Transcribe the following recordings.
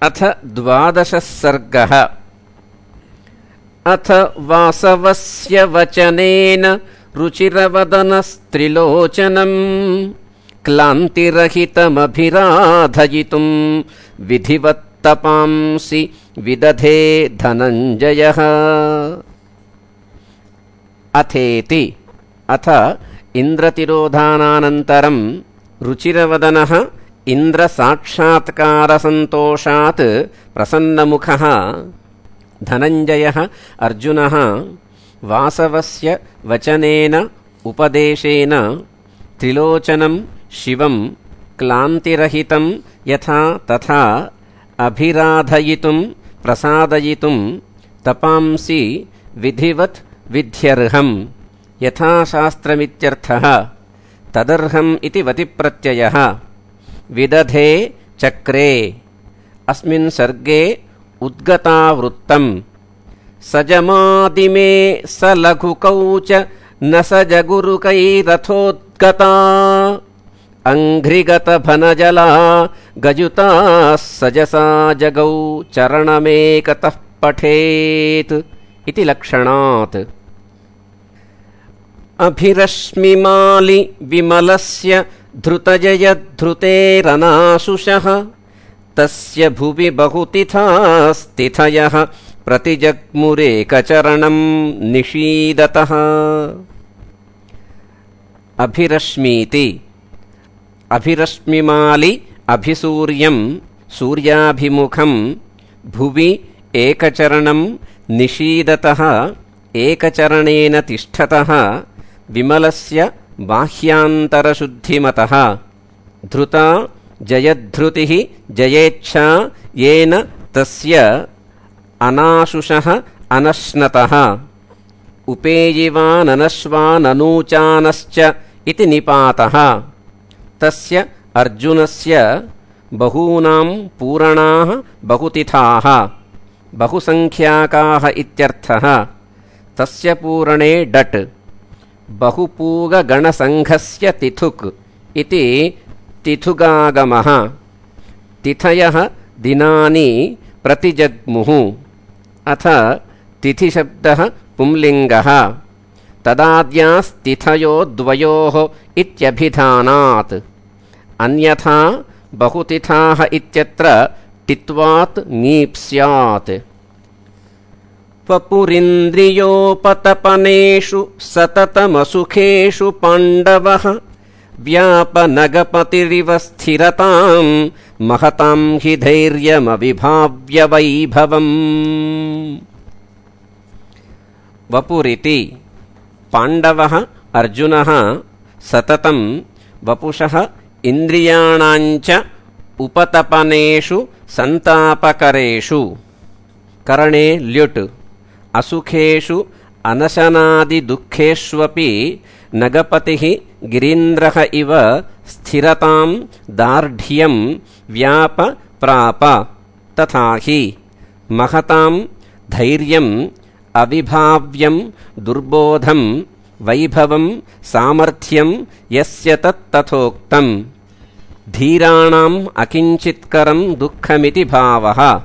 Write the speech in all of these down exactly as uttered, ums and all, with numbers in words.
अथ द्वादशः सर्गः। अथ वासवस्य वचनेन रुचिरवदनस्त्रिलोचनम् क्लान्तिरहितमभिराधयितुं विधिवत्तपांसि विदधे धनञ्जयः। अथेति अथ इन्द्रतिरोधानानन्तरं रुचिरवदनः इन्द्रसाक्षात्कारसन्तोषात् प्रसन्नमुखः धनञ्जयः अर्जुनः वासवस्य वचनेन उपदेशेन त्रिलोचनं शिवं क्लान्तिरहितं यथा तथा अभिराधयितुं प्रसादयितुं तपांसि विधिवत् विध्यर्हं यथाशास्त्रमित्यर्थः। तदर्हम् इति वतिप्रत्ययः। विदधे चक्रे अस्मिन् सर्गे उद्गतावृत्तम्। सजमादिमे स लघुकौच न स जगुरुकैरथोद्गता अङ्घ्रिगतभनजला गजुताः सजसा जगौ चरणमेकतः पठेत् इति लक्षणात्। अभिरश्मिमालि विमलस्य धृतजयद्धृतेरनाशुषः तस्य भुवि बहुतिथास्तिथयः प्रतिजग्मुरेकचरणं निषीदतः। अभिरश्मीति अभिरश्मिमालि अभिसूर्यं सूर्याभिमुखं भुवि एकचरणं निषीदतः एकचरणेन तिष्ठतः विमलस्य बाह्यान्तरशुद्धिमतः। धृता जयद्धृतिः जयेच्छा येन तस्य अनाशुषः अनश्नतः। उपेयिवाननश्वाननूचानश्च इति निपातः। तस्य अर्जुनस्य बहूनां पूरणाः बहुतिथाः बहुसङ्ख्याकाः इत्यर्थः। तस्य पूरणे डट् बहुपूगगणसङ्घस्य तिथुक् इति तिथुगागमः। तिथयः दिनानि प्रतिजग्मुः। अथ तिथिशब्दः पुंलिङ्गः। तदाद्यास्तिथयो द्वयोः इत्यभिधानात्। अन्यथा बहुतिथाः इत्यत्र टित्वात् ङीप् स्यात्। वपुरिन्द्रियोपतपनेषु सततमसुखेषु पाण्डवः व्यापनगपतिरिव स्थिरतां महतां हि धैर्यमविभाव्य वैभवम्। वपुरिति पाण्डवः अर्जुनः सततं वपुषः इन्द्रियाणाञ्च उपतपनेषु सन्तापकरेषु करणे ल्युट् असुखेषु अनशनादिदुःखेष्वपि नगपतिः गिरीन्द्रः इव स्थिरतां दार्ढ्यं व्याप प्राप। तथा हि महतां धैर्यम् अविभाव्यं दुर्बोधं वैभवं सामर्थ्यं यस्य तत्तथोक्तम्। धीराणाम् अकिञ्चित्करं दुःखमिति भावः।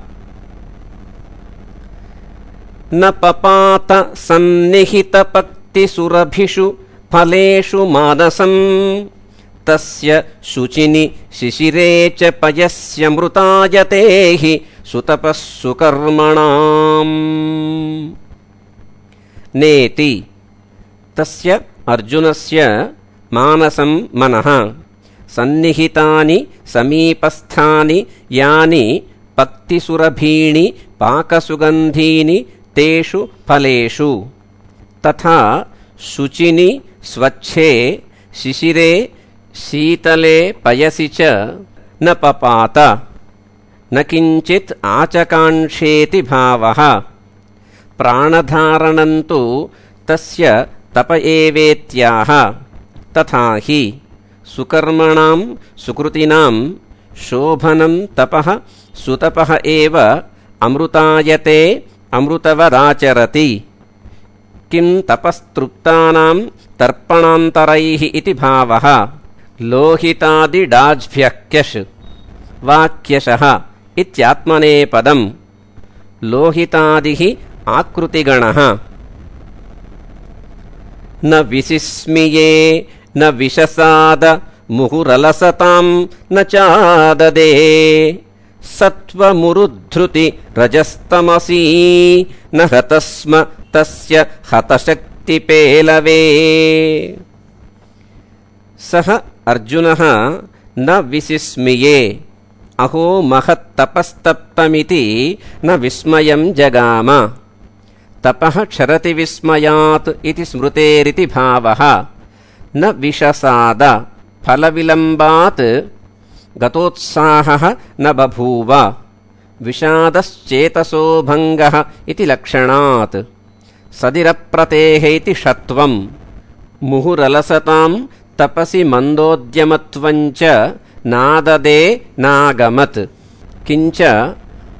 न पपात सन्निहितपक्तिसुरभिषु फलेषु मानसं तस्य शुचिनि शिशिरे च पयस्य मृतायते हि सुतपः सुकर्मणाम्। नेति तस्य अर्जुनस्य मानसं मनः सन्निहितानि समीपस्थानि यानि पक्तिसुरभीणि पाकसुगन्धीनि तेषु फलेषु तथा शुचिनि स्वच्छे शिशिरे शीतले पयसि च न पपात न किञ्चित् आचकाङ्क्षेति भावः। प्राणधारणन्तु तस्य तप एवेत्याह। तथा हि सुकर्मणां सुकृतिनां शोभनं तपः सुतपः एव अमृतायते अमृतवदाचरति। किं तपस्तृप्तानां तर्पणान्तरैः इति भावः। लोहितादिडाज्भ्यः क्यश् वाक्यशः इत्यात्मनेपदम् लोहितादिः आकृतिगणः न विसिस्मिये न विशसाद मुहुरलसतां न चाददे सत्वमुरुद्धृति रजस्तमसी न हतस्म तस्य हतशक्तिपेलवे। सः अर्जुनः न विसिस्मिये अहो महत्तपस्तप्तमिति न विस्मयं जगाम। तपः क्षरति विस्मयात् इति स्मृतेरिति भावः। न विशसाद फलविलम्बात् गतोत्साहः न बभूव विषादश्चेतसो भङ्गः इति लक्षणात्। सदिरप्रतेः इति षत्वं मुहुरलसतां तपसि मन्दोद्यमत्वञ्च नाददे नागमत्। किञ्च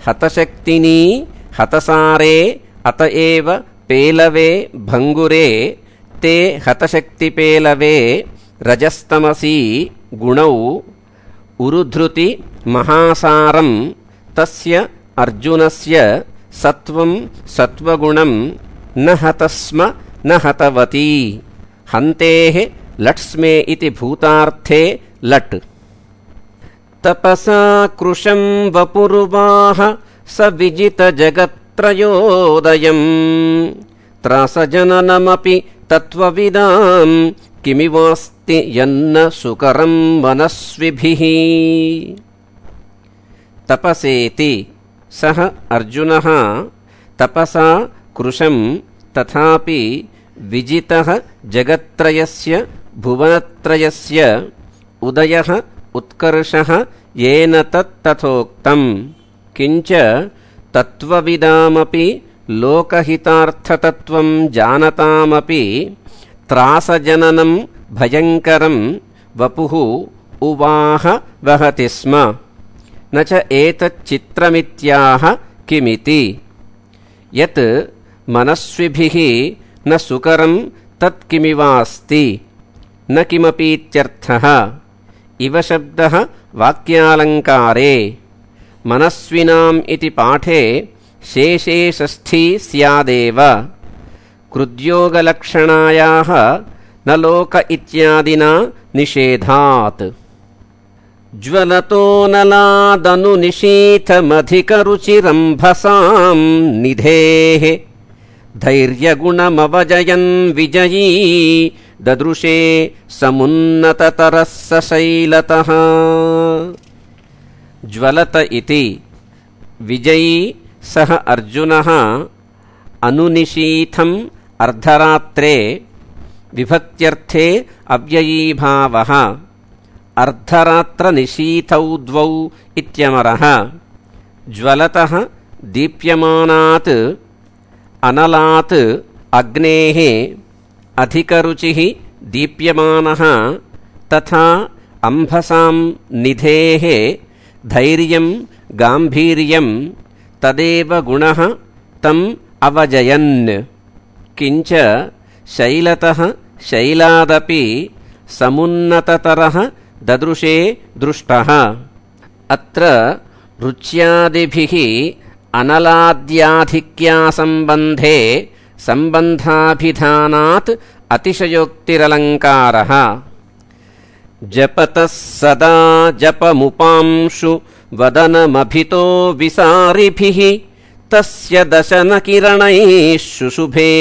हतशक्तिनी हतसारे अत एव पेलवे भङ्गुरे ते हतशक्तिपेलवे रजस्तमसी गुणौ उरुधृति महासारं तस्य अर्जुनस्य सत्वं सत्वगुणं न हतस्म न हतवती। हन्तेः लट्स्मे इति भूतार्थे लट्। तपसा कृशं वपुरुवाह स विजितजगत्त्रयोदयम् त्रासजननमपि तत्त्वविदां किमिवास्ति यन्न सुकरं मनस्विभिः। तपसेति सः अर्जुनः तपसा कृशं तथापि विजितः जगत्त्रयस्य भुवनत्रयस्य उदयः उत्कर्षः येन तत्तथोक्तम्। किञ्च तत्त्वविदामपि लोकहितार्थतत्त्वं जानतामपि त्रासजननं भयङ्करं वपुः उवाह वहति स्म। न च एतच्चित्रमित्याह किमिति। यत् मनस्विभिः न सुकरं तत्किमिवास्ति न किमपीत्यर्थः। इव शब्दः वाक्यालङ्कारे। मनस्विनाम् इति पाठे शेषे षष्ठी स्यादेव। कृद्योगलक्षणायाः न लोक इत्यादिना निषेधात्। ज्वलतो नलादनुनिशीथमधिकरुचिरम्भसां निधेः धैर्यगुणमवजयन् विजयी ददृशे समुन्नततरः स शैलतः। ज्वलत इति विजयी सः अर्जुनः अनुनिशीथम् अर्धरात्रे विभक्त्यर्थे अव्ययीभावः। अर्धरात्रनिशीथौ द्वौ इत्यमरः। ज्वलतः दीप्यमानात् अनलात् अग्नेः अधिकरुचिः दीप्यमानः तथा अम्भसां निधेः धैर्यं गाम्भीर्यं तदेव गुणः तम् अवजयन्। किञ्च शैलतः शैलादपि समुन्नततरः ददृशे दृष्टः। अत्र रुच्यादिभिः अनलाद्याधिक्यासम्बन्धे सम्बन्धाभिधानात् अतिशयोक्तिरलङ्कारः। जपतः सदा जपमुपांशु वदनमभितो विसारिभिः तस्य दशनकिरणैः शुशुभे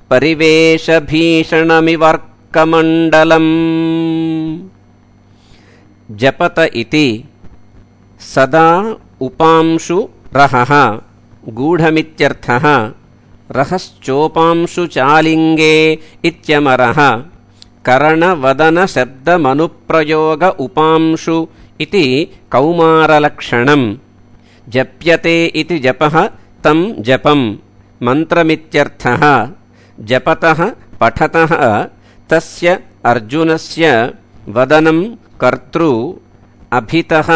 परिवेशभीषणमिवर्कमण्डलम्। जपत इति सदा उपांशु रहः गूढमित्यर्थः। रहश्चोपांशु चालिङ्गे इत्यमरः। करणवदनशब्दमनुप्रयोग उपांशु इति कौमारलक्षणम्। जप्यते इति जपः तं जपं मन्त्रमित्यर्थः। जपतः पठतः तस्य अर्जुनस्य वदनं कर्तृ अभितः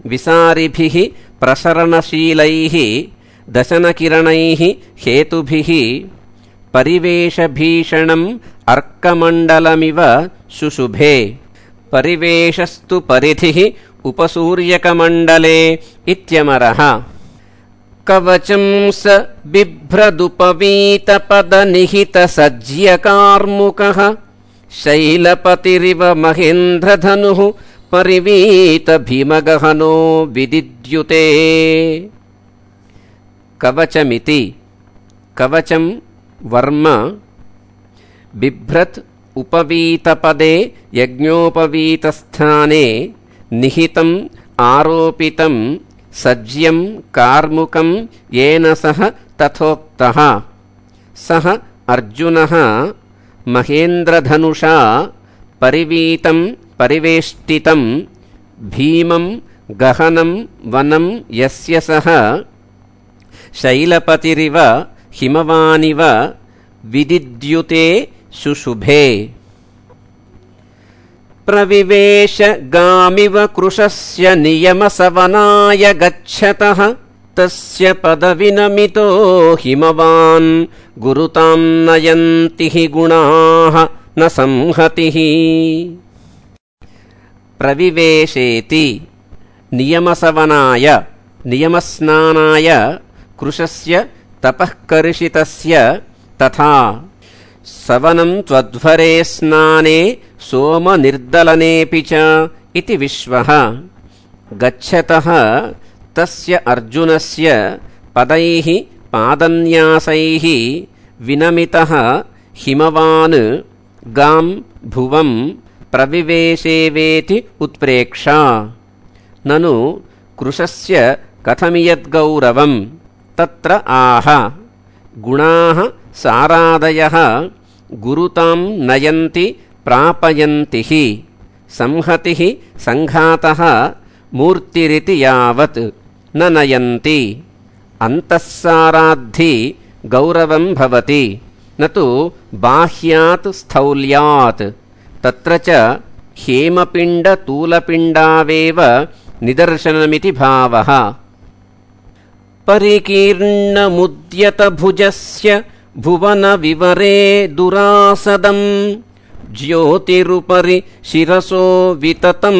विसारिभिः प्रसरणशीलैः दशनकिरणैः हेतुभिः परिवेशभीषणम् अर्कमण्डलमिव शुशुभे। परिवेशस्तु परिधिः उपसूर्यकमण्डले इत्यमरः। कवचं स बिभ्रदुपवीतपदनिहितसज्यकार्मुकः शैलपतिरिव महेन्द्रधनुः परिवीतभीमगहनो विदिद्युते। कवचमिति कवचं वर्म बिभ्रत् उपवीतपदे यज्ञोपवीतस्थाने निहितम् आरोपितं सज्यं कार्मुकं येन सह तथोक्तः। सः अर्जुनः महेन्द्रधनुषा परिवीतं परिवेष्टितं भीमं गहनं वनं यस्य सः शैलपतिरिव हिमवानिव विदिद्युते शुशुभे। प्रविवेश गामिव कृशस्य नियमसवनाय गच्छतः तस्य पदविनमितो हिमवान् गुरुतां नयन्ति हि गुणाः न संहतिः। प्रविवेशेति नियमसवनाय नियमस्नानाय कृशस्य तपःकर्षितस्य तथा सवनं त्वध्वरे स्नाने सोमनिर्दलनेऽपि च इति विश्वः। गच्छतः तस्य अर्जुनस्य पदैः पादन्यासैः विनमितः हिमवान् गां भुवं प्रविवेशेवेति उत्प्रेक्षा। ननु कृशस्य कथमियद्गौरवं तत्र आह। गुणाः सारादयः गुरुतां नयन्ति प्रापयन्ति हि। संहतिः संघातः मूर्तिरिति यावत् न नयन्ति। अन्तःसाराद्धि गौरवं भवति न तु बाह्यात् स्थौल्यात्। तत्र च हेमपिण्डतूलपिण्डावेव निदर्शनमिति भावः। परिकीर्णमुद्यतभुजस्य भुवनविवरे दुरासदं ज्योतिरुपरि शिरसो विततं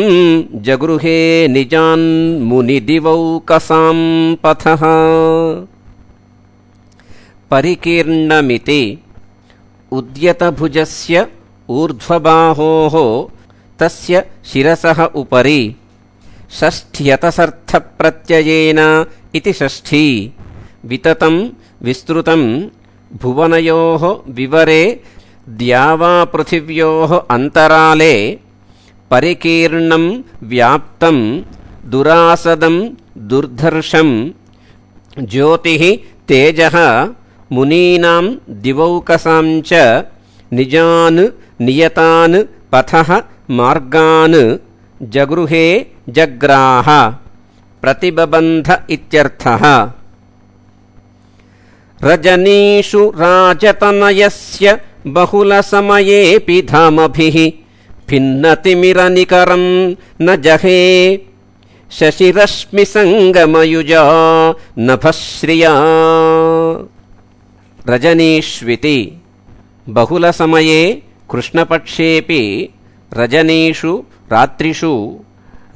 जगृहे निजान् मुनिदिवौकसां पथः। परिकीर्णमिति उद्यतभुजस्य ऊर्ध्वबाहोः तस्य शिरसः उपरि षष्ठ्यतसर्थप्रत्ययेन इति षष्ठी। विततं विस्तृतं भुवनयोः विवरे द्यावापृथिव्योः अन्तराले परिकीर्णं व्याप्तं दुरासदं दुर्धर्षं ज्योतिः तेजः मुनीनां दिवौकसां च निजान् नियतान् पथः मार्गान् जगृहे जग्राह। प्रतिबबन्ध इत्यर्थः। रजनीषु राजतनयस्य बहुलसमयेऽपि धामभिः भिन्नतिमिरनिकरं न जहे शशिरश्मिसङ्गमयुजा नभश्रिया। रजनीष्विति बहुलसमये कृष्णपक्षेऽपि रजनीषु रात्रिषु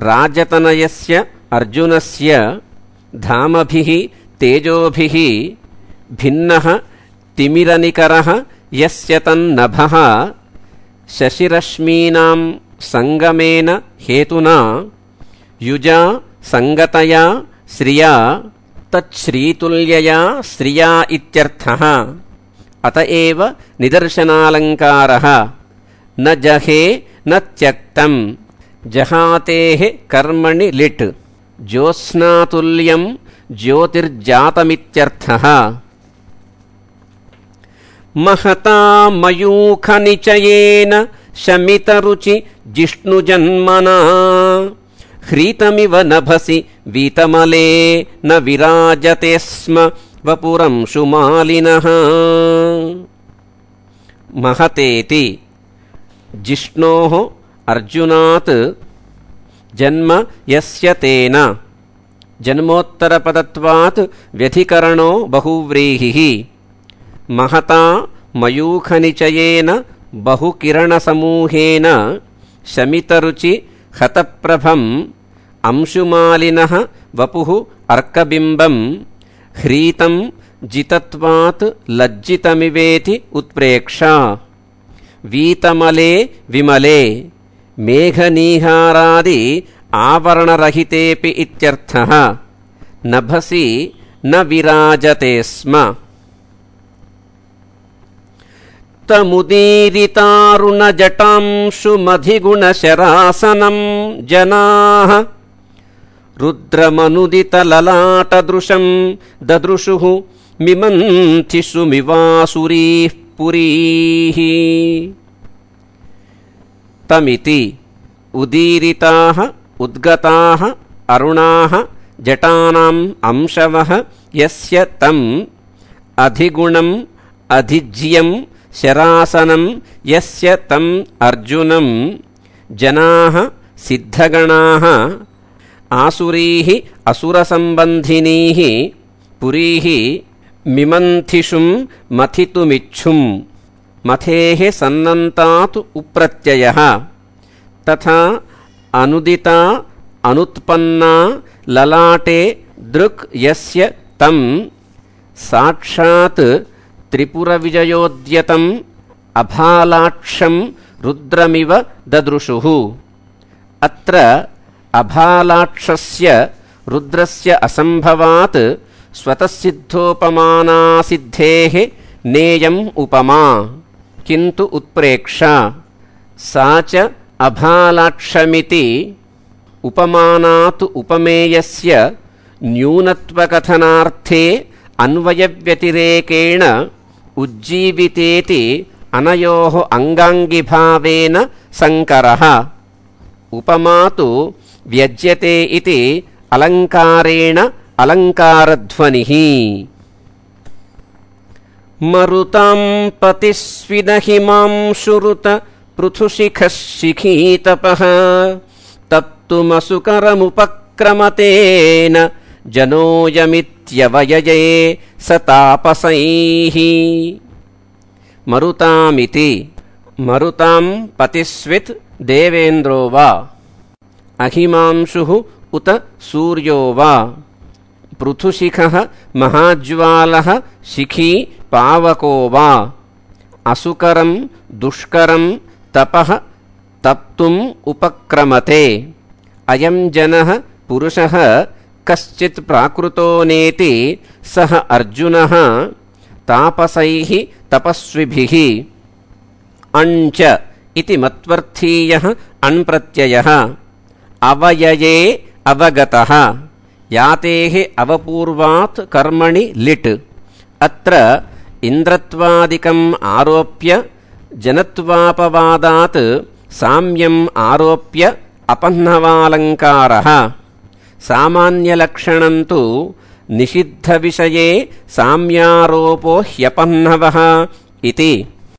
राजतनयस्य अर्जुनस्य धामभिः तेजोभिः भिन्नः तिमिरनिकरः यस्य तन्नभः शशिरश्मीनां संगमेन हेतुना युजा संगतया श्रिया तच्छ्रीतुल्यया श्रिया इत्यर्थः। अतएव निदर्शनालङ्कारः। न जहे न त्यक्तं जहातेः कर्मणि लिट् ज्योत्स्नातुल्यं ज्योतिर्जातमित्यर्थः। महता मयूखनिचयेन शमितरुचि जिष्णुजन्मना ह्रीतमिव नभसि वीतमले न विराजते स्म वपुरंशुमालिनः। महतेति जिष्णोः अर्जुनात् जन्म यस्य तेन जन्मोत्तरपदत्वात् व्यधिकरणो बहुव्रीहिः। महता मयूखनिचयेन बहुकिरणसमूहेन शमितरुचि हतप्रभं अंशुमालिनः वपुः अर्कबिम्बं ह्रीतं जितत्वात् लज्जितमिवेति उत्प्रेक्षा वीतमले विमले मेघनीहारादि आवरणरहितेऽपि इत्यर्थः नभसि न विराजते स्म। तमुदीरितारुणजटांशुमधिगुणशरासनं जनाः रुद्रमनुदितललाटदृशं ददृशुः मिमन्थिषु मिवासुरीः पुरीः। तमिति उदीरिताः उद्गताः अरुणाः जटानाम् अंशवः यस्य तम् अधिगुणम् अधिज्यं शरासनं यस्य तम् अर्जुनं जनाः सिद्धगणाः आसुरीः असुरसम्बन्धिनीः पुरीः मिमन्थिषुं मथितुमिच्छुम् मथेः सन्नन्तात् उप्रत्ययः तथा अनुदिता अनुत्पन्ना ललाटे दृक् यस्य तम् साक्षात् त्रिपुरविजयोद्यतम् अभालाक्षं रुद्रमिव ददृशुः। अत्र अभालाक्षस्य रुद्रस्य असम्भवात् स्वतःसिद्धोपमानासिद्धेः नेयम् उपमा किन्तु उत्प्रेक्षा सा च अभालाक्षमिति उपमानात् उपमेयस्य न्यूनत्वकथनार्थे अन्वयव्यतिरेकेण उज्जीवितेति अनयोः अंगाङ्गिभावेन संकरः। उपमा तु व्यज्यते इति अलङ्कारेण अलङ्कारध्वनिः। मरुतां पतिस्विदहिमांशुरुत पृथुशिखः शिखीतपः तत्तुमसुकरमुपक्रमतेन जनोऽयमित्यवयये स तापसैः। मरुतामिति मरुतां पतिस्वित् देवेन्द्रो वा अहिमांशुः उत सूर्यो वा पृथुशिखः महाज्वालः शिखी पावको वा असुकरं दुष्करं तपः तप्तुम् उपक्रमते। अयं जनः पुरुषः कश्चित् प्राकृतो नेति सः अर्जुनः तापसैः तपस्विभिः। अञ्च इति मत्वर्थीयः अण्प्रत्ययः अवयये अवगतः यातेः अवपूर्वात् कर्मणि लिट्। अत्र इन्द्रत्वादिकम् आरोप्य जनत्वापवादात् साम्यम् आरोप्य अपह्नवालङ्कारः। सामान्यलक्षणं तु निषिद्धविषये साम्यारोपो ह्यपह्नवः इति।